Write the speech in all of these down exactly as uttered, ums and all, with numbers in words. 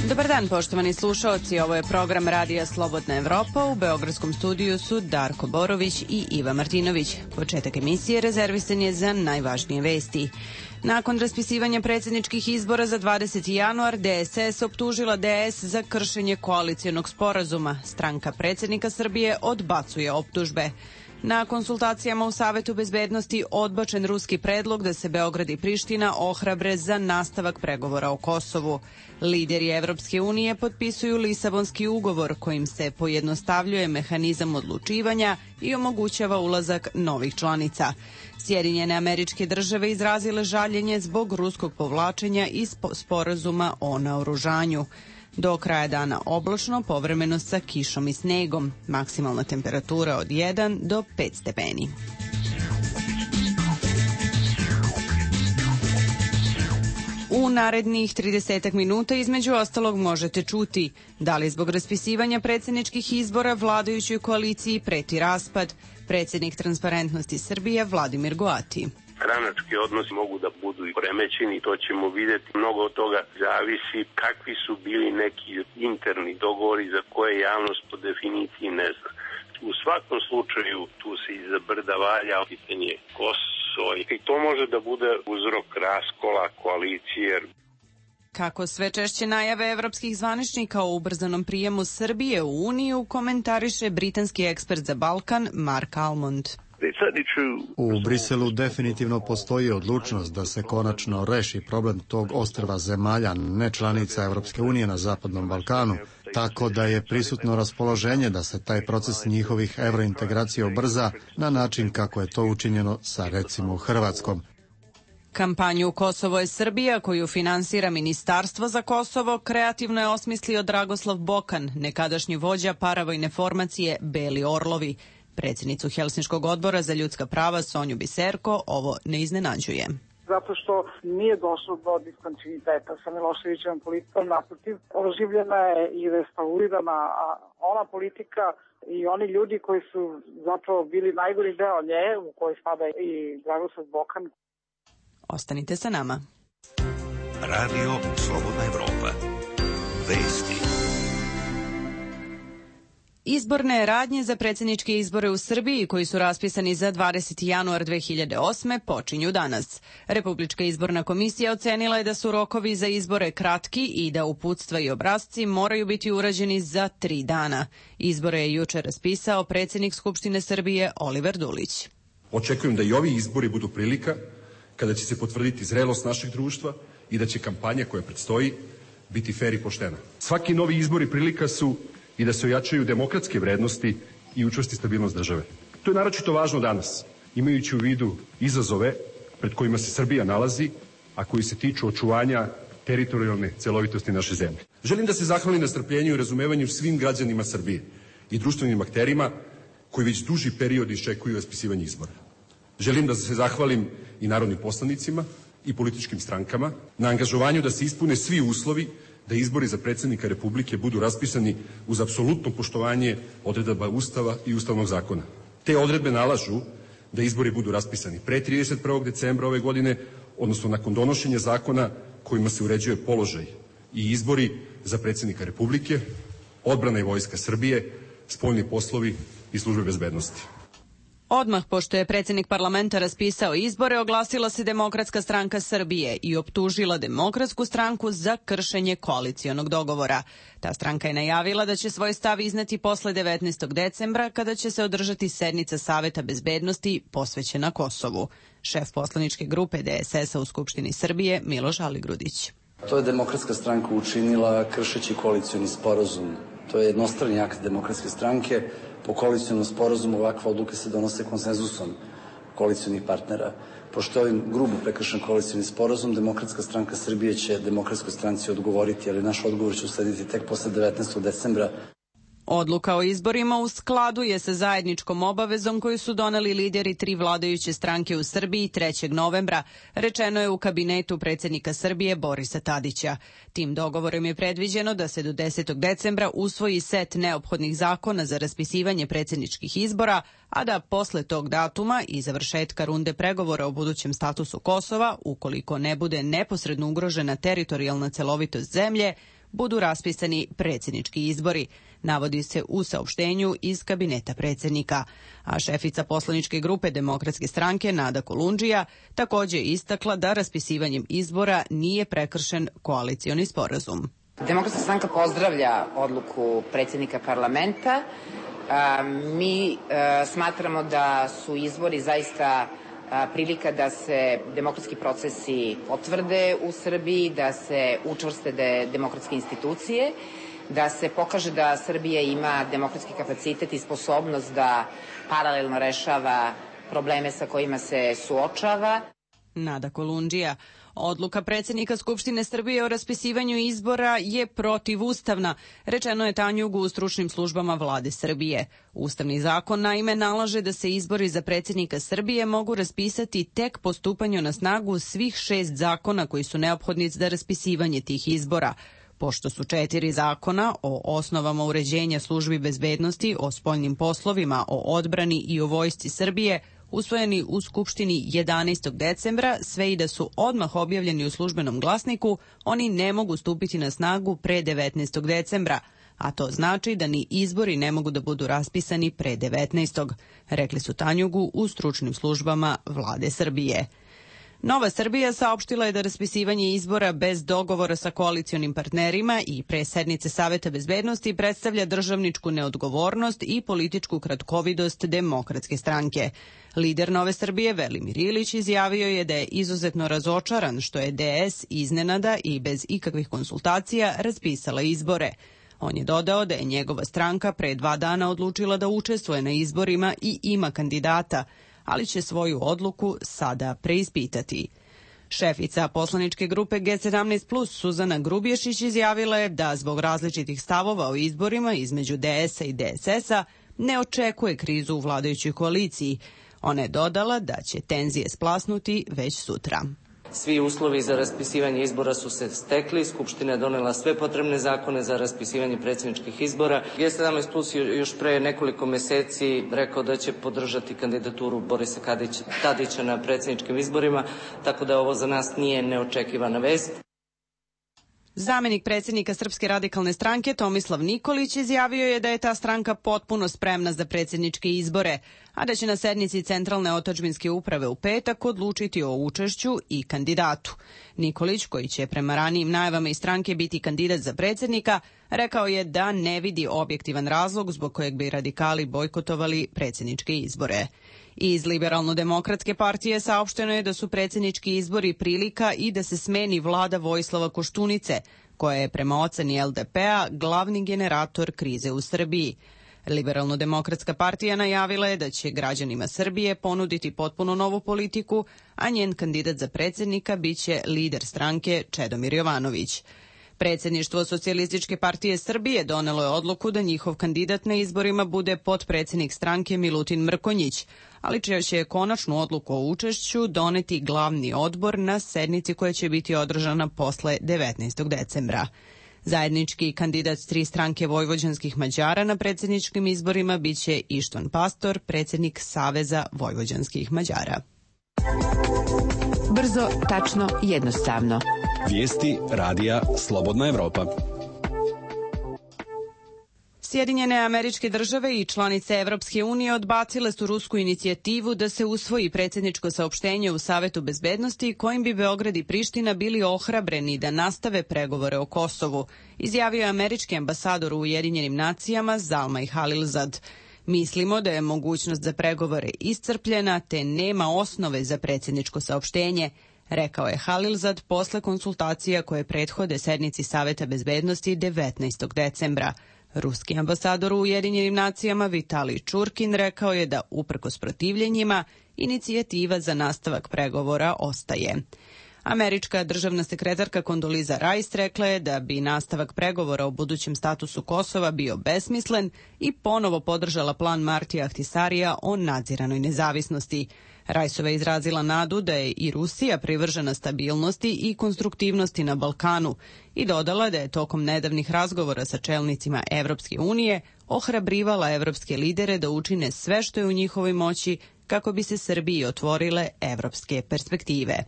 Dobar dan, poštovani slušaoci, ovo je program Radija Slobodna Evropa. U beogradskom studiju su Darko Borović i Iva Martinović. Početak emisije rezervisan je za najvažnije vesti. Nakon raspisivanja predsjedničkih izbora za dvadeseti januar, D S S optužila D S za kršenje koalicionog sporazuma. Stranka predsjednika Srbije odbacuje optužbe. Na konsultacijama u Savetu bezbednosti odbačen ruski predlog da se Beograd i Priština ohrabre za nastavak pregovora o Kosovu. Lideri Evropske unije potpisuju Lisabonski ugovor kojim se pojednostavljuje mehanizam odlučivanja i omogućava ulazak novih članica. Sjedinjene Američke Države izrazile žaljenje zbog ruskog povlačenja iz sporazuma o naoružanju. Do kraja dana oblačno, povremeno sa kišom i snegom. Maksimalna temperatura od jedan do pet stepeni. U narednih tridesetak minuta između ostalog možete čuti da li zbog raspisivanja predsjedničkih izbora vladajućoj koaliciji preti raspad. Predsjednik Transparentnosti Srbije Vladimir Goati. Stranački odnosi mogu da budu i poremećeni, to ćemo vidjeti. Mnogo od toga zavisi kakvi su bili neki interni dogovori za koje javnost po definiciji ne zna. U svakom slučaju tu se iza brda valja pitanje Kosovo i to može da bude uzrok raskola koalicije. Kako sve češće najave evropskih zvaničnika o ubrzanom prijemu Srbije u Uniju komentariše britanski ekspert za Balkan Mark Almond. U Briselu definitivno postoji odlučnost da se konačno reši problem tog ostrva zemalja nečlanica Evropske unije na Zapadnom Balkanu, tako da je prisutno raspoloženje da se taj proces njihovih evrointegracija ubrza na način kako je to učinjeno sa recimo Hrvatskom. Kampanju Kosovo je Srbija, koju finansira Ministarstvo za Kosovo, kreativno je osmislio Dragoslav Bokan, nekadašnji vođa paravojne formacije Beli Orlovi. Predsjednicu Helsinškog odbora za ljudska prava Sonju Biserko ovo ne iznenađuje. Zato što nije došlo do diskontinuiteta sa Miloševićevom politikom, naprotiv, oživljena je i restaurirana ona politika i oni ljudi koji su zapravo bili najgori deo nje, u kojoj spada i Dragoslav Bokan. Ostanite sa nama. Radio Slobodna Evropa. Vesti. Izborne radnje za predsjedničke izbore u Srbiji, koji su raspisani za dvadeseti januar dve hiljade osme, počinju danas. Republička izborna komisija ocenila je da su rokovi za izbore kratki i da uputstva i obrasci moraju biti urađeni za tri dana. Izbore je juče raspisao predsjednik Skupštine Srbije Oliver Dulić. Očekujem da i ovi izbori budu prilika kada će se potvrditi zrelost našeg društva i da će kampanja koja predstoji biti fer i poštena. Svaki novi izbori prilika su i da se ojačaju demokratske vrednosti i učvrsti stabilnost države. To je naročito važno danas, imajući u vidu izazove pred kojima se Srbija nalazi, a koji se tiču očuvanja teritorijalne celovitosti naše zemlje. Želim da se zahvalim na strpljenju i razumevanju svim građanima Srbije i društvenim akterima koji već duži period iščekuju raspisivanje izbora. Želim da se zahvalim i narodnim poslanicima i političkim strankama na angažovanju da se ispune svi uslovi da izbori za predsjednika Republike budu raspisani uz apsolutno poštovanje odredaba Ustava i Ustavnog zakona. Te odredbe nalažu da izbori budu raspisani pre trideset prvog decembra ove godine, odnosno nakon donošenja zakona kojima se uređuje položaj i izbori za predsjednika Republike, odbrana i vojska Srbije, spoljni poslovi i službe bezbednosti. Odmah pošto je predsjednik parlamenta raspisao izbore, oglasila se Demokratska stranka Srbije i optužila Demokratsku stranku za kršenje koalicionog dogovora. Ta stranka je najavila da će svoj stav izneti posle devetnaestog decembra, kada će se održati sednica Saveta bezbednosti posvećena Kosovu. Šef poslaničke grupe D S S-a u Skupštini Srbije Miloš Aligrudić. To je Demokratska stranka učinila kršeći koalicioni sporazum. To je jednostrani akt Demokratske stranke. Po koalicionom sporazumu ovakve odluke se donose konsenzusom koalicionih partnera. Pošto je ovim grubo prekršen koalicioni sporazum, Demokratska stranka Srbije će Demokratskoj stranci odgovoriti, ali naš odgovor će uslediti tek posle devetnaestog decembra. Odluka o izborima u skladu je sa zajedničkom obavezom koju su doneli lideri tri vladajuće stranke u Srbiji trećeg novembra, rečeno je u kabinetu predsjednika Srbije Borisa Tadića. Tim dogovorom je predviđeno da se do desetog decembra usvoji set neophodnih zakona za raspisivanje predsjedničkih izbora, a da posle tog datuma i završetka runde pregovora o budućem statusu Kosova, ukoliko ne bude neposredno ugrožena teritorijalna celovitost zemlje, budu raspisani predsjednički izbori, navodi se u saopštenju iz kabineta predsjednika. A šefica poslaničke grupe Demokratske stranke Nada Kolundžija također istakla da raspisivanjem izbora nije prekršen koalicioni sporazum. Demokratska stranka pozdravlja odluku predsjednika parlamenta. Mi smatramo da su izbori zaista prilika da se demokratski procesi potvrde u Srbiji, da se učvrste demokratske institucije, da se pokaže da Srbija ima demokratski kapacitet i sposobnost da paralelno rešava probleme sa kojima se suočava. Nada Kolundžija. Odluka predsjednika Skupštine Srbije o raspisivanju izbora je protivustavna, rečeno je Tanjugu u stručnim službama vlade Srbije. Ustavni zakon naime nalaže da se izbori za predsjednika Srbije mogu raspisati tek po stupanju na snagu svih šest zakona koji su neophodni za raspisivanje tih izbora. Pošto su četiri zakona o osnovama uređenja službi bezbednosti, o spoljnim poslovima, o odbrani i o vojsci Srbije, usvojeni u Skupštini jedanaestog decembra, sve i da su odmah objavljeni u službenom glasniku, oni ne mogu stupiti na snagu pre devetnaestog decembra, a to znači da ni izbori ne mogu da budu raspisani pre devetnaestog, rekli su Tanjugu u stručnim službama vlade Srbije. Nova Srbija saopštila je da raspisivanje izbora bez dogovora sa koalicionim partnerima i pre sednice Saveta bezbednosti predstavlja državničku neodgovornost i političku kratkovidost Demokratske stranke. Lider Nove Srbije Velimir Ilić izjavio je da je izuzetno razočaran što je D S iznenada i bez ikakvih konsultacija raspisala izbore. On je dodao da je njegova stranka pre dva dana odlučila da učestvuje na izborima i ima kandidata, ali će svoju odluku sada preispitati. Šefica poslaničke grupe G sedamnaest plus Suzana Grubješić izjavila je da zbog različitih stavova o izborima između D S a i D S S a ne očekuje krizu u vladajućoj koaliciji. Ona je dodala da će tenzije splasnuti već sutra. Svi uslovi za raspisivanje izbora su se stekli, Skupština je donela sve potrebne zakone za raspisivanje predsjedničkih izbora. G sedamnaest plus još pre nekoliko meseci rekao da će podržati kandidaturu Borisa Tadića na predsjedničkim izborima, tako da ovo za nas nije neočekivana vest. Zamenik predsjednika Srpske radikalne stranke Tomislav Nikolić izjavio je da je ta stranka potpuno spremna za predsjedničke izbore, a da će na sednici Centralne otadžbinske uprave u petak odlučiti o učešću i kandidatu. Nikolić, koji će prema ranijim najavama iz stranke biti kandidat za predsjednika, rekao je da ne vidi objektivan razlog zbog kojeg bi radikali bojkotovali predsjedničke izbore. Iz Liberalno-demokratske partije saopšteno je da su predsjednički izbori prilika i da se smeni vlada Vojislava Koštunice, koja je prema oceni L D P a glavni generator krize u Srbiji. Liberalno-demokratska partija najavila je da će građanima Srbije ponuditi potpuno novu politiku, a njen kandidat za predsjednika biće lider stranke Čedomir Jovanović. Predsjedništvo Socijalističke partije Srbije donelo je odluku da njihov kandidat na izborima bude potpredsjednik stranke Milutin Mrkonjić, ali će konačnu odluku o učešću doneti glavni odbor na sednici koja će biti održana posle devetnaestog decembra. Zajednički kandidat tri stranke vojvođanskih Mađara na predsjedničkim izborima biće Ištvan Pastor, predsjednik Saveza vojvođanskih Mađara. Brzo, tačno, jednostavno. Vijesti radija Slobodna Evropa. Sjedinjene Američke Države i članice Evropske unije odbacile su rusku inicijativu da se usvoji predsjedničko saopštenje u Savetu bezbednosti kojim bi Beograd i Priština bili ohrabreni da nastave pregovore o Kosovu, izjavio je američki ambasador u Ujedinjenim nacijama Zalmay Khalilzad. Mislimo da je mogućnost za pregovore iscrpljena te nema osnove za predsjedničko saopštenje, rekao je Khalilzad posle konsultacija koje prethode sednici Saveta bezbednosti devetnaestog decembra. Ruski ambasador u Ujedinjenim nacijama Vitalij Čurkin rekao je da uprkos protivljenjima inicijativa za nastavak pregovora ostaje. Američka državna sekretarka Kondoliza Rice rekla je da bi nastavak pregovora o budućem statusu Kosova bio besmislen i ponovo podržala plan Martija Ahtisarija o nadziranoj nezavisnosti. Rajsova je izrazila nadu da je i Rusija privržena stabilnosti i konstruktivnosti na Balkanu i dodala da je tokom nedavnih razgovora sa čelnicima Evropske unije ohrabrivala evropske lidere da učine sve što je u njihovoj moći kako bi se Srbiji otvorile evropske perspektive.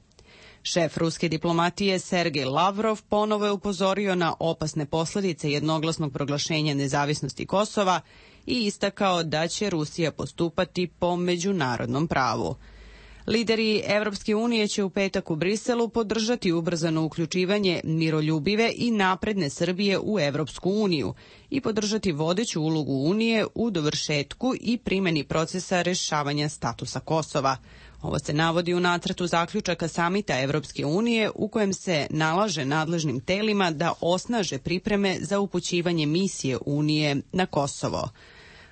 Šef ruske diplomatije Sergej Lavrov ponovo je upozorio na opasne posledice jednoglasnog proglašenja nezavisnosti Kosova i istakao da će Rusija postupati po međunarodnom pravu. Lideri Evropske unije će u petak u Briselu podržati ubrzano uključivanje miroljubive i napredne Srbije u Evropsku uniju i podržati vodeću ulogu Unije u dovršetku i primjeni procesa rešavanja statusa Kosova. Ovo se navodi u nacrtu zaključaka samita Evropske unije u kojem se nalaže nadležnim telima da osnaže pripreme za upućivanje misije Unije na Kosovo.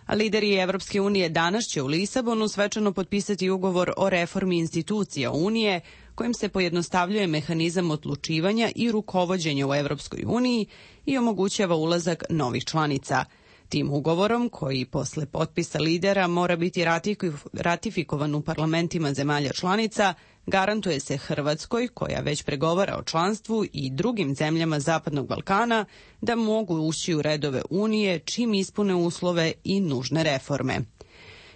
A lideri Evropske unije danas će u Lisabonu svečano potpisati ugovor o reformi institucija Unije kojim se pojednostavljuje mehanizam odlučivanja i rukovođenja u Evropskoj uniji i omogućava ulazak novih članica. Tim ugovorom, koji posle potpisa lidera mora biti ratifikovan u parlamentima zemalja članica, garantuje se Hrvatskoj, koja već pregovara o članstvu, i drugim zemljama Zapadnog Balkana da mogu ući u redove Unije čim ispune uslove i nužne reforme.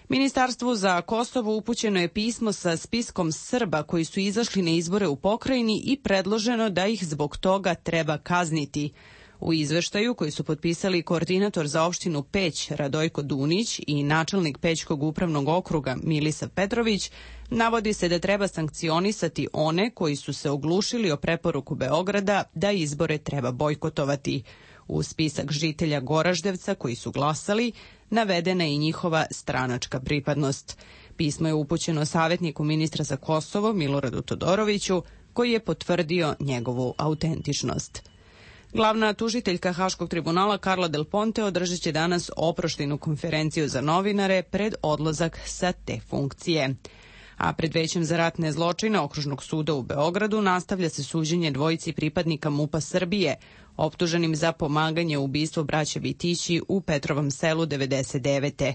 Ministarstvu za Kosovo upućeno je pismo sa spiskom Srba koji su izašli na izbore u pokrajini i predloženo da ih zbog toga treba kazniti. U izveštaju koji su potpisali koordinator za opštinu Peć Radojko Dunić i načelnik Pećkog upravnog okruga Milisa Petrović, navodi se da treba sankcionisati one koji su se oglušili o preporuku Beograda da izbore treba bojkotovati. U spisak žitelja Goraždevca koji su glasali navedena je i njihova stranačka pripadnost. Pismo je upućeno savjetniku ministra za Kosovo Miloradu Todoroviću, koji je potvrdio njegovu autentičnost. Glavna tužiteljka Haškog tribunala Karla Del Ponte održat će danas oproštajnu konferenciju za novinare pred odlazak sa te funkcije. A pred Većem za ratne zločine Okružnog suda u Beogradu nastavlja se suđenje dvojici pripadnika MUP-a Srbije, optuženim za pomaganje u ubistvu braće Vitići u Petrovom selu devedeset devete.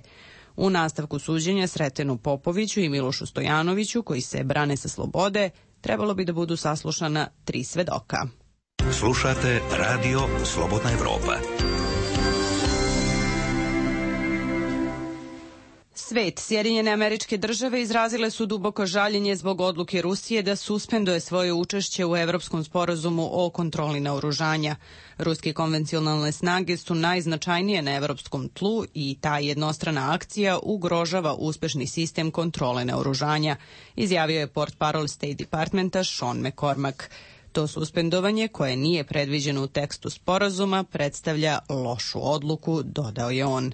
U nastavku suđenja Sretenu Popoviću i Milošu Stojanoviću, koji se brane sa slobode, trebalo bi da budu saslušana tri svedoka. Slušate Radio Slobodna Evropa. Svet, Sjedinjene Američke Države izrazile su duboko žaljenje zbog odluke Rusije da suspenduje svoje učešće u Evropskom sporazumu o kontroli naoružanja. Ruske konvencionalne snage su najznačajnije na evropskom tlu i ta jednostrana akcija ugrožava uspešni sistem kontrole naoružanja, izjavio je portparol State Departmenta Sean McCormack. To suspendovanje, koje nije predviđeno u tekstu sporazuma, predstavlja lošu odluku, dodao je on.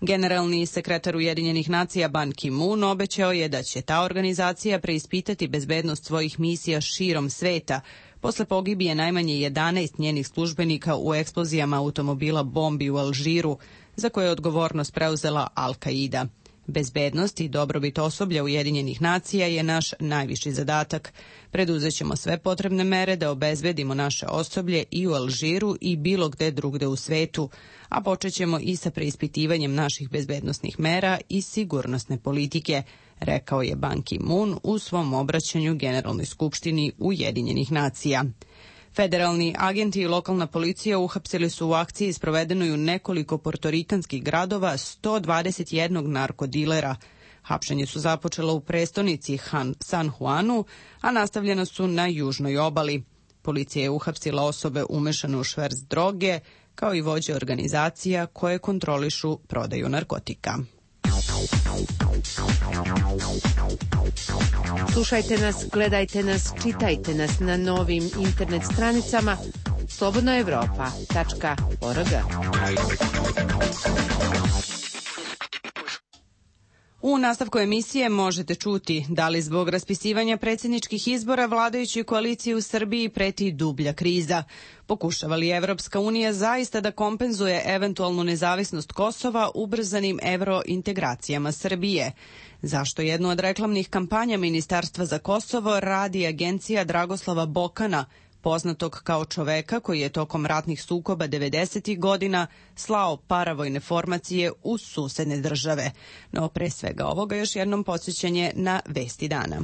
Generalni sekretar Ujedinjenih nacija Ban Ki-moon obećao je da će ta organizacija preispitati bezbednost svojih misija širom sveta posle pogibije najmanje jedanaest njenih službenika u eksplozijama automobila bombi u Alžiru, za koje je odgovornost preuzela Al-Qaida. Bezbednost i dobrobit osoblja Ujedinjenih nacija je naš najviši zadatak. Preduzećemo sve potrebne mere da obezbedimo naše osoblje i u Alžiru i bilo gde drugde u svetu, a počećemo i sa preispitivanjem naših bezbednosnih mera i sigurnosne politike, rekao je Ban Ki-moon u svom obraćanju Generalnoj skupštini Ujedinjenih nacija. Federalni agenti i lokalna policija uhapsili su u akciji sprovedenoj u nekoliko portorikanskih gradova sto dvadeset jedan narkodilera. Hapšenje su započela u prestonici San Juanu, a nastavljena su na južnoj obali. Policija je uhapsila osobe umešane u šverc droge, kao i vođe organizacija koje kontrolišu prodaju narkotika. Slušajte nas, gledajte nas, čitajte nas na novim internet stranicama slobodna evropa tačka org. U nastavku emisije možete čuti da li zbog raspisivanja predsjedničkih izbora vladajućoj koaliciji u Srbiji preti dublja kriza. Pokušava li Evropska unija zaista da kompenzuje eventualnu nezavisnost Kosova ubrzanim evrointegracijama Srbije? Zašto jednu od reklamnih kampanja Ministarstva za Kosovo radi agencija Dragoslava Bokana, poznatog kao čoveka koji je tokom ratnih sukoba devedesetih godina slao paravojne formacije u susedne države. No pre svega ovoga još jednom podsjećanje na vesti dana.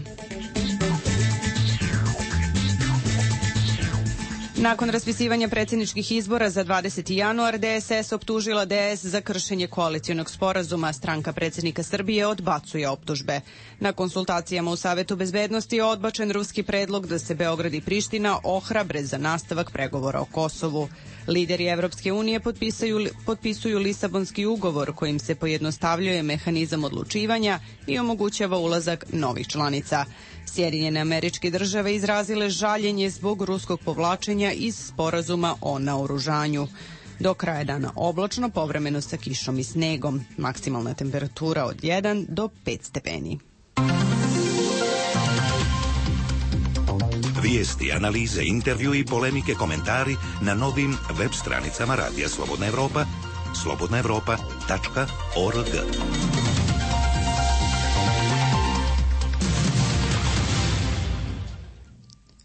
Nakon raspisivanja predsjedničkih izbora za dvadeseti januar, D S S optužila D S za kršenje koalicionog sporazuma. Stranka predsjednika Srbije odbacuje optužbe. Na konsultacijama u Savetu bezbednosti je odbačen ruski predlog da se Beograd i Priština ohrabre za nastavak pregovora o Kosovu. Lideri Evropske unije potpisuju, potpisuju Lisabonski ugovor kojim se pojednostavljuje mehanizam odlučivanja i omogućava ulazak novih članica. Sjedinjene Američke Države izrazile žaljenje zbog ruskog povlačenja iz sporazuma o naoružanju. Do kraja dana oblačno, povremeno sa kišom i snegom. Maksimalna temperatura od jedan do pet stepeni. Vijesti, analize, intervju i polemike, komentari na novim web stranicama Radija Slobodna Evropa, slobodna evropa tačka org.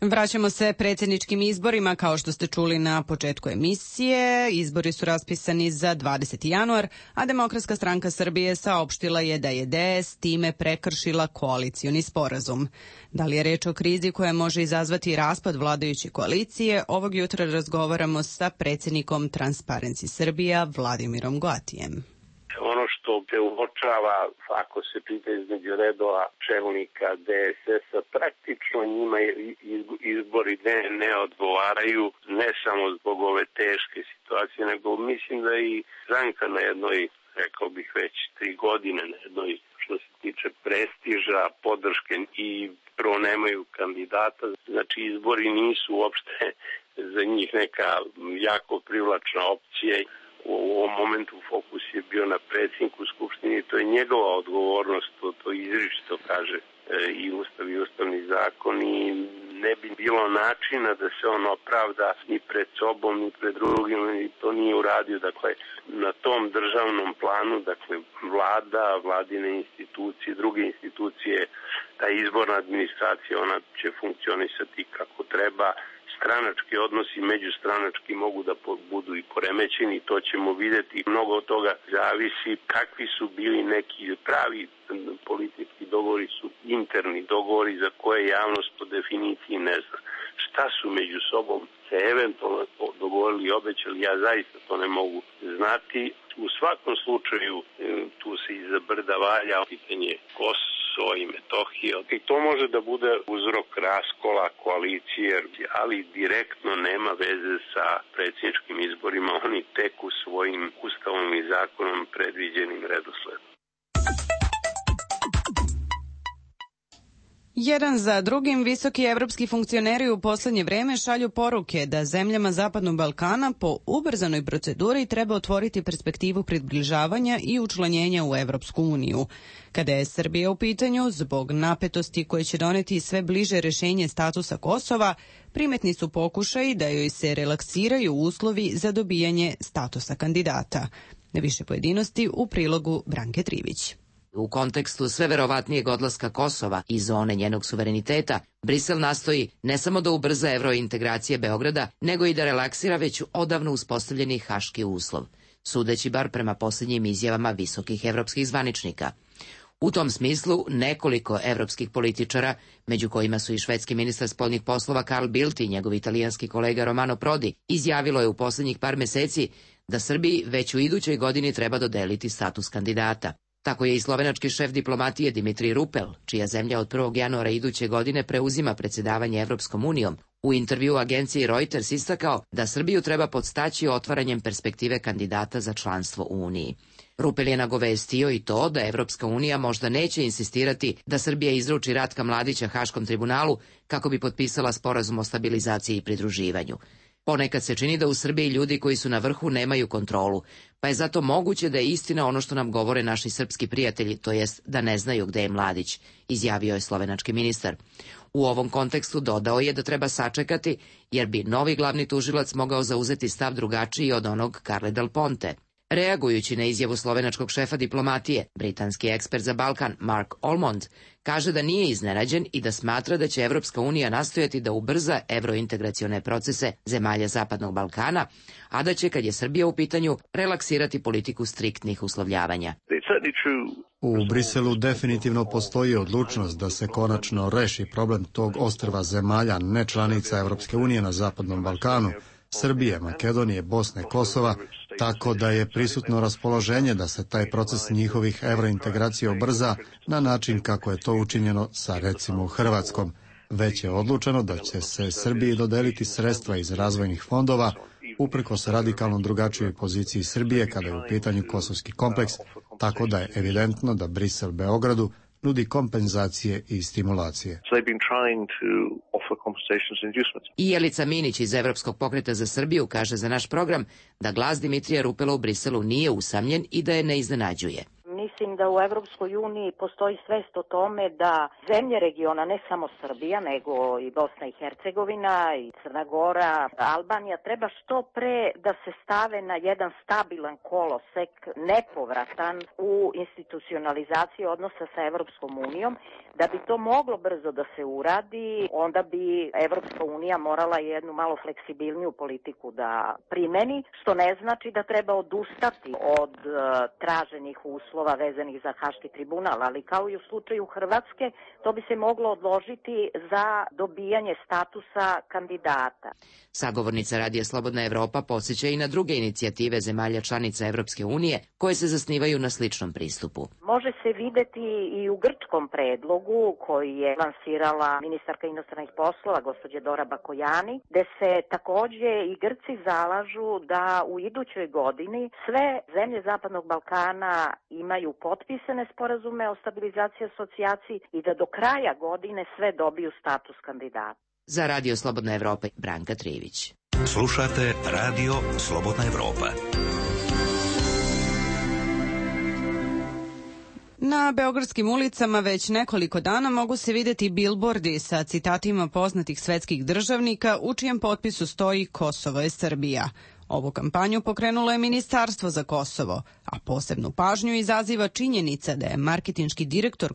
Vraćamo se predsjedničkim izborima. Kao što ste čuli na početku emisije, izbori su raspisani za dvadeseti januar, a Demokratska stranka Srbije saopštila je da je D S time prekršila koalicioni sporazum. Da li je reč o krizi koja može izazvati raspad vladajuće koalicije, ovog jutra razgovaramo sa predsjednikom Transparency Srbija Vladimirom Goatijem. Ono što te uočava, ako se pita između redova čelnika D S S-a, praktično njima izbori ne, ne odgovaraju, ne samo zbog ove teške situacije, nego mislim da i stranka na jednoj, rekao bih već tri godine, na jednoj što se tiče prestiža, podrške i prvo nemaju kandidata, znači izbori nisu uopšte za njih neka jako privlačna opcija. U ovom momentu fokus je bio na predsjedniku Skupštine, to je njegova odgovornost, to, to izričito kaže e, i Ustav i Ustavni zakon i ne bi bilo načina da se on opravda ni pred sobom, ni pred drugim, i to nije uradio. Dakle, na tom državnom planu, dakle, vlada, vladine institucije, druge institucije, ta izborna administracija, ona će funkcionisati kako treba. Stranački odnosi, međustranački mogu da budu i poremećeni, to ćemo vidjeti. Mnogo od toga zavisi kakvi su bili neki pravi politički dogovori, su interni dogovori za koje javnost po definiciji ne zna. Šta su među sobom se eventualno dogovorili i obećali, ja zaista to ne mogu znati. U svakom slučaju tu se iza brda valja pitanje Kosova i Metohije. I to može da bude uzrok raskola koalicije, ali direktno nema veze sa predsjedničkim izborima. Oni teku svojim ustavom i zakonom predviđenim redosledom. Jedan za drugim visoki evropski funkcioneri u posljednje vreme šalju poruke da zemljama Zapadnog Balkana po ubrzanoj proceduri treba otvoriti perspektivu približavanja i učlanjenja u Evropsku uniju. Kada je Srbija u pitanju, zbog napetosti koje će doneti sve bliže rješenje statusa Kosova, primetni su pokušaji da joj se relaksiraju uslovi za dobijanje statusa kandidata. Više pojedinosti u prilogu Branke Trivić. U kontekstu sve verovatnijeg odlaska Kosova i zone njenog suvereniteta, Brisel nastoji ne samo da ubrza evrointegracije Beograda, nego i da relaksira već odavno uspostavljeni haški uslov, sudeći bar prema posljednjim izjavama visokih evropskih zvaničnika. U tom smislu, nekoliko evropskih političara, među kojima su i švedski ministar spoljnih poslova Carl Bildt i njegov italijanski kolega Romano Prodi, izjavilo je u posljednjih par meseci da Srbiji već u idućoj godini treba dodeliti status kandidata. Tako je i slovenački šef diplomatije Dimitrij Rupel, čija zemlja od prvog januara iduće godine preuzima predsjedavanje Evropskom unijom, u intervju agenciji Reuters istakao da Srbiju treba podstaći otvaranjem perspektive kandidata za članstvo u Uniji. Rupel je nagovestio i to da Evropska unija možda neće insistirati da Srbija izruči Ratka Mladića Haškom tribunalu kako bi potpisala sporazum o stabilizaciji i pridruživanju. Ponekad se čini da u Srbiji ljudi koji su na vrhu nemaju kontrolu, pa je zato moguće da je istina ono što nam govore naši srpski prijatelji, to jest da ne znaju gde je Mladić, izjavio je slovenački ministar. U ovom kontekstu dodao je da treba sačekati, jer bi novi glavni tužilac mogao zauzeti stav drugačiji od onog Carle Del Ponte. Reagujući na izjavu slovenačkog šefa diplomatije, britanski ekspert za Balkan Mark Almond kaže da nije iznenađen i da smatra da će Evropska unija nastojati da ubrza evrointegracione procese zemalja Zapadnog Balkana, a da će, kad je Srbija u pitanju, relaksirati politiku striktnih uslovljavanja. U Briselu definitivno postoji odlučnost da se konačno reši problem tog ostrva zemalja nečlanica Evropske unije na Zapadnom Balkanu, Srbije, Makedonije, Bosne, Kosova, tako da je prisutno raspoloženje da se taj proces njihovih evrointegracija ubrza na način kako je to učinjeno sa recimo Hrvatskom. Već je odlučeno da će se Srbiji dodeliti sredstva iz razvojnih fondova, uprkos radikalno drugačijoj poziciji Srbije kada je u pitanju kosovski kompleks, tako da je evidentno da Brisel Beogradu nudi kompenzacije i stimulacije. I Jelica Minić iz Evropskog pokreta za Srbiju kaže za naš program da glas Dimitrija Rupela u Briselu nije usamljen i da je ne iznenađuje. Mislim da u Evropskoj uniji postoji svest o tome da zemlje regiona, ne samo Srbija, nego i Bosna i Hercegovina, i Crna Gora, Albanija, treba što pre da se stave na jedan stabilan kolosek, nepovratan u institucionalizaciji odnosa sa Evropskom unijom. Da bi to moglo brzo da se uradi, onda bi Evropska unija morala jednu malo fleksibilniju politiku da primeni, što ne znači da treba odustati od uh, traženih uslova vezanih za Haški tribunal, ali kao i u slučaju Hrvatske, to bi se moglo odložiti za dobijanje statusa kandidata. Sagovornica Radija Slobodna Evropa podsjeća i na druge inicijative zemalja članica Evropske unije koje se zasnivaju na sličnom pristupu. Može se videti i u grčkom predlogu koji je lansirala ministarka inostranih poslova, gospođa Dora Bakojani, gde se takođe i Grci zalažu da u idućoj godini sve zemlje Zapadnog Balkana imaju potpisane sporazume o stabilizaciji i asocijaciji i da do kraja godine sve dobiju status kandidata. Za Radio Slobodna Evropa, Branka Trivić. Slušate Radio Slobodna Evropa. Na beogradskim ulicama već nekoliko dana mogu se videti bilbordi sa citatima poznatih svetskih državnika u čijem potpisu stoji Kosovo je Srbija. Ovu kampanju pokrenulo je Ministarstvo za Kosovo, a posebnu pažnju izaziva činjenica da je marketinški direktor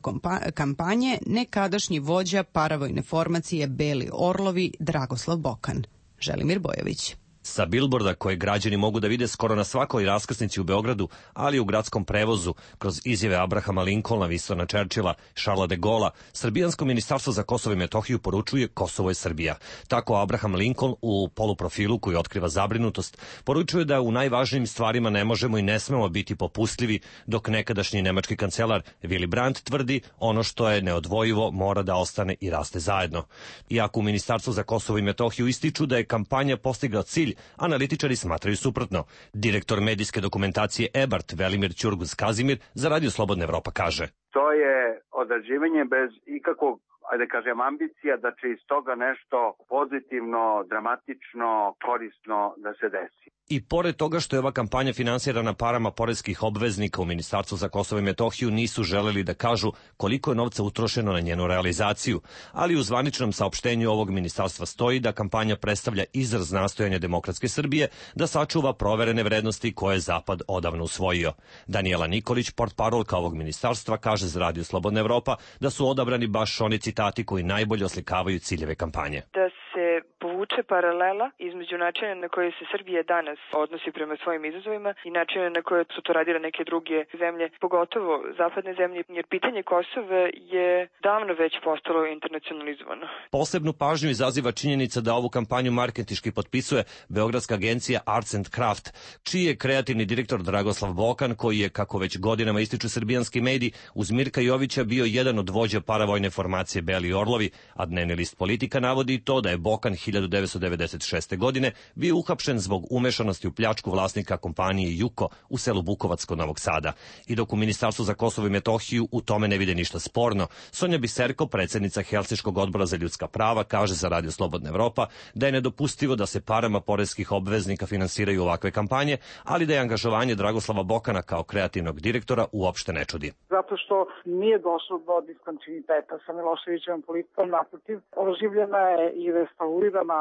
kampanje nekadašnji vođa paravojne formacije Beli Orlovi Dragoslav Bokan. Želimir Bojović. Sa bilborda koje građani mogu da vide skoro na svakoj raskrsnici u Beogradu, ali i u gradskom prevozu, kroz izjave Abrahama Lincolna, Winstona Churchilla, Charlesa de Gaulla, Srbijansko ministarstvo za Kosovo i Metohiju poručuje Kosovo je Srbija. Tako Abraham Lincoln u poluprofilu koji otkriva zabrinutost poručuje da u najvažnijim stvarima ne možemo i ne smemo biti popustljivi, dok nekadašnji nemački kancelar Willy Brandt tvrdi ono što je neodvojivo mora da ostane i raste zajedno. Iako u Ministarstvu za Kosovo i Metohiju ističu da je kampanja postigla cilj, analitičari smatraju suprotno. Direktor medijske dokumentacije E B A R T Velimir Ćurguz Kazimir za Radio Slobodna Evropa kaže: To je odrađivanje bez ikakvog, ajde kažem, ambicija da će iz toga nešto pozitivno, dramatično, korisno da se desi. I pored toga što je ova kampanja finansirana parama poreskih obveznika, u Ministarstvu za Kosovo i Metohiju nisu želeli da kažu koliko je novca utrošeno na njenu realizaciju, ali u zvaničnom saopštenju ovog ministarstva stoji da kampanja predstavlja izraz nastojanja demokratske Srbije da sačuva proverene vrednosti koje je Zapad odavno usvojio. Danijela Nikolić, portparolka ovog ministarstva, kaže za Radio Slobodna Evropa da su odabrani baš oni citati koji najbolje oslikavaju ciljeve kampanje. Da se povuče paralela između načina na koje se Srbija danas odnosi prema svojim izazovima i načina na koje su to radile neke druge zemlje, pogotovo zapadne zemlje, jer pitanje Kosova je davno već postalo internacionalizovano. Posebnu pažnju izaziva činjenica da ovu kampanju marketinški potpisuje beogradska agencija Arts and Craft, čiji je kreativni direktor Dragoslav Bokan, koji je, kako već godinama ističu srbijanski mediji, uz Mirka Jovića bio jedan od vođa paravojne formacije Beli Orlovi, a dnevni list Politika navodi to da je Bokan hiljadu hiljadu devetsto devedeset šeste. godine bio uhapšen zbog umešanosti u pljačku vlasnika kompanije Juko u selu Bukovac kod Novog Sada. I dok u Ministarstvu za Kosovo i Metohiju u tome ne vide ništa sporno, Sonja Biserko, predsjednica Helsinškog odbora za ljudska prava, kaže za Radio Slobodna Evropa da je nedopustivo da se parama poreskih obveznika finansiraju ovakve kampanje, ali da je angažovanje Dragoslava Bokana kao kreativnog direktora uopšte ne čudi. Zato što nije došlo do diskontinuiteta sa Miloševićevom politikom, naprotiv, oživljena je i restaurirana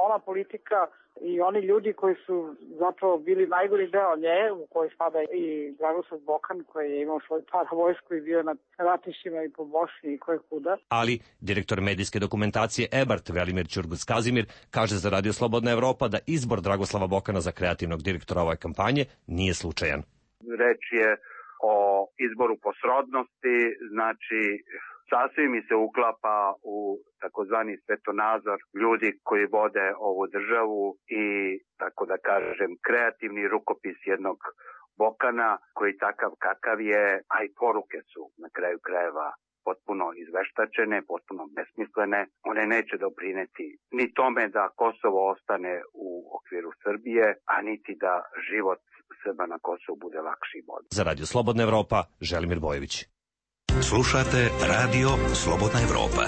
ona politika i oni ljudi koji su zapravo bili najgori deo nje, u kojoj spada i Dragoslav Bokan koji je imao svoj paravojsku i bio na ratištima i po Bosni i koje kuda. Ali direktor medijske dokumentacije Ebart Velimir Ćurgus-Kazimir kaže za Radio Slobodna Evropa da izbor Dragoslava Bokana za kreativnog direktora ove kampanje nije slučajan. Reč je o izboru po srodnosti, znači sasvim mi se uklapa u takozvani svetonazor ljudi koji vode ovu državu i, tako da kažem, kreativni rukopis jednog Bokana koji takav kakav je, a i poruke su na kraju krajeva potpuno izveštačene, potpuno besmislene. One neće doprineti ni tome da Kosovo ostane u okviru Srbije, a niti da život Srba na Kosovu bude lakši i bolji. Za Radio Slobodna Evropa, Želimir Bojević. Slušate Radio Slobodna Evropa.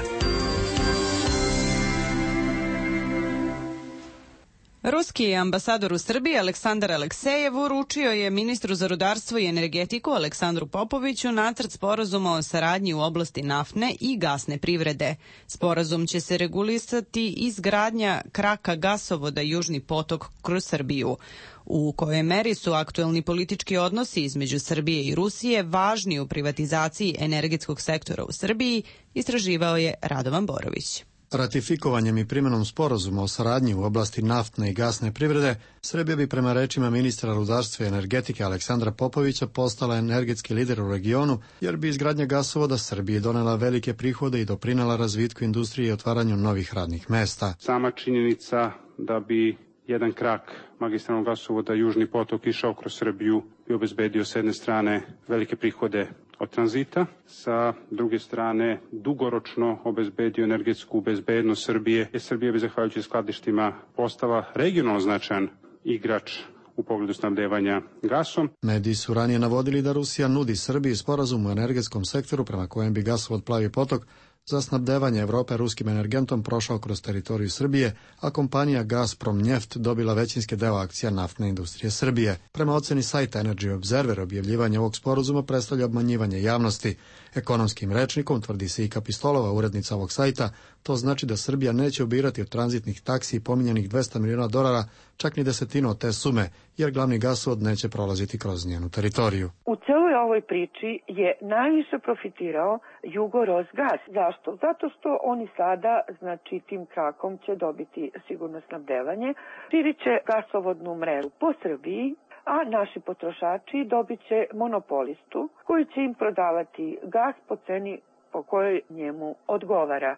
Ruski ambasador u Srbiji Aleksandar Aleksejev uručio je ministru za rudarstvo i energetiku Aleksandru Popoviću nacrt sporazuma o saradnji u oblasti naftne i gasne privrede. Sporazum će se regulisati izgradnja kraka gasovoda Južni potok kroz Srbiju. U kojoj meri su aktuelni politički odnosi između Srbije i Rusije važni u privatizaciji energetskog sektora u Srbiji, istraživao je Radovan Borović. Ratifikovanjem i primjenom sporazuma o saradnji u oblasti naftne i gasne privrede, Srbija bi prema rečima ministra rudarstva i energetike Aleksandra Popovića postala energetski lider u regionu, jer bi izgradnja gasovoda Srbiji donela velike prihode i doprinela razvitku industrije i otvaranju novih radnih mesta. Sama činjenica da bi jedan krak magistralnog gasovoda Južni potok išao kroz Srbiju bi obezbedio s jedne strane velike prihode od tranzita, sa druge strane dugoročno obezbedio energetsku bezbednost Srbije, jer Srbija bi zahvaljujući skladištima postala regionalno značajan igrač u pogledu snabdevanja gasom. Mediji su ranije navodili da Rusija nudi Srbiji sporazum u energetskom sektoru prema kojem bi gasovod Plavi potok za snabdevanje Evrope ruskim energentom prošao kroz teritoriju Srbije, a kompanija Gazprom Njeft dobila većinski deo akcija naftne industrije Srbije. Prema oceni sajta Energy Observer, objavljivanje ovog sporazuma predstavlja obmanjivanje javnosti. Ekonomskim rečnikom, tvrdi se i Kapistolova, urednica ovog sajta, to znači da Srbija neće ubirati od tranzitnih taksi pominjanih dvesta miliona dolara, čak ni desetinu od te sume, jer glavni gasovod neće prolaziti kroz njenu teritoriju. U celoj ovoj priči je najviše profitirao Jugorosgas. Zašto? Zato što oni sada, znači tim krakom će dobiti sigurno snabdevanje, širit će gasovodnu mrežu po Srbiji, a naši potrošači dobit će monopolistu koji će im prodavati gas po ceni po kojoj njemu odgovara.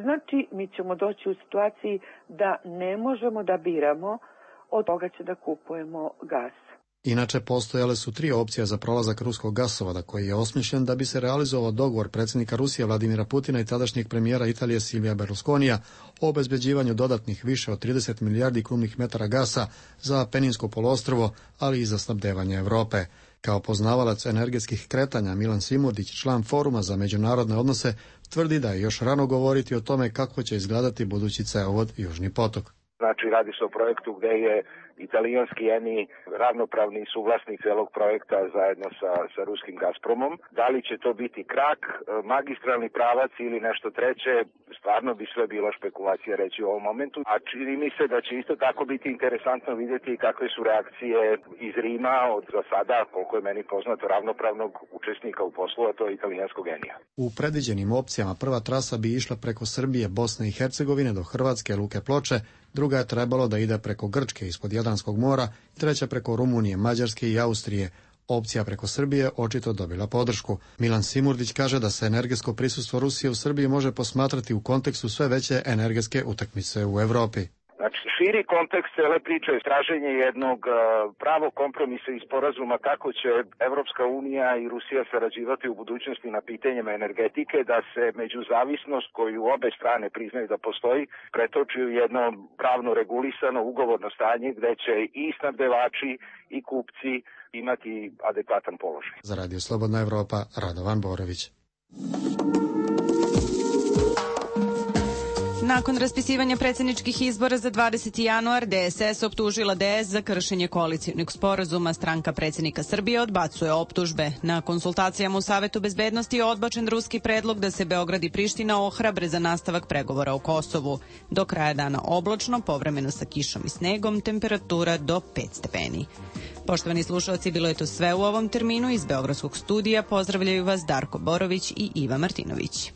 Znači, mi ćemo doći u situaciji da ne možemo da biramo od koga će da kupujemo gas. Inače, postojale su tri opcije za prolazak ruskog gasovoda, koji je osmišljen da bi se realizovao dogovor predsjednika Rusije Vladimira Putina i tadašnjeg premijera Italije Silvija Berlusconija o obezbeđivanju dodatnih više od trideset milijardi kubnih metara gasa za Peninsko poluostrvo, ali i za snabdevanje Evrope. Kao poznavalac energetskih kretanja, Milan Simurdić, član Foruma za međunarodne odnose, tvrdi da je još rano govoriti o tome kako će izgledati budući cevovod Južni potok. Znači, radi se o projektu gde je italijanski Eni ravnopravni suvlasnik celog projekta zajedno sa, sa ruskim Gazpromom. Da li će to biti krak, magistralni pravac ili nešto treće, stvarno bi sve bilo špekulacija reći u ovom momentu. A čini mi se da će isto tako biti interesantno vidjeti kakve su reakcije iz Rima od za sada, koliko je meni poznato, ravnopravnog učesnika u poslu, a to je italijanskog Enija. U predviđenim opcijama prva trasa bi išla preko Srbije, Bosne i Hercegovine do Hrvatske luke Ploče, druga je trebalo da ide preko Grčke ispod Jadranskog mora, treća preko Rumunije, Mađarske i Austrije. Opcija preko Srbije očito dobila podršku. Milan Simurdić kaže da se energetsko prisustvo Rusije u Srbiji može posmatrati u kontekstu sve veće energetske utakmice u Evropi. Znači, širi kontekst cele priče je traženje jednog pravog kompromisa i sporazuma kako će Evropska unija i Rusija sarađivati u budućnosti na pitanjima energetike, da se međuzavisnost koju obe strane priznaju da postoji pretoči u jedno pravno regulisano ugovorno stanje gde će i snabdevači i kupci imati adekvatan položaj. Za Radio Slobodna Evropa, Radovan Borović. Nakon raspisivanja predsjedničkih izbora za dvadeseti januar, D S S optužila D S za kršenje koalicionog sporazuma. Stranka predsjednika Srbije odbacuje optužbe. Na konsultacijama u Savetu bezbednosti je odbačen ruski predlog da se Beograd i Priština ohrabre za nastavak pregovora o Kosovu. Do kraja dana oblačno, povremeno sa kišom i snegom, temperatura do pet stepeni. Poštovani slušalci, bilo je to sve u ovom terminu. Iz Beogradskog studija pozdravljaju vas Darko Borović i Iva Martinović.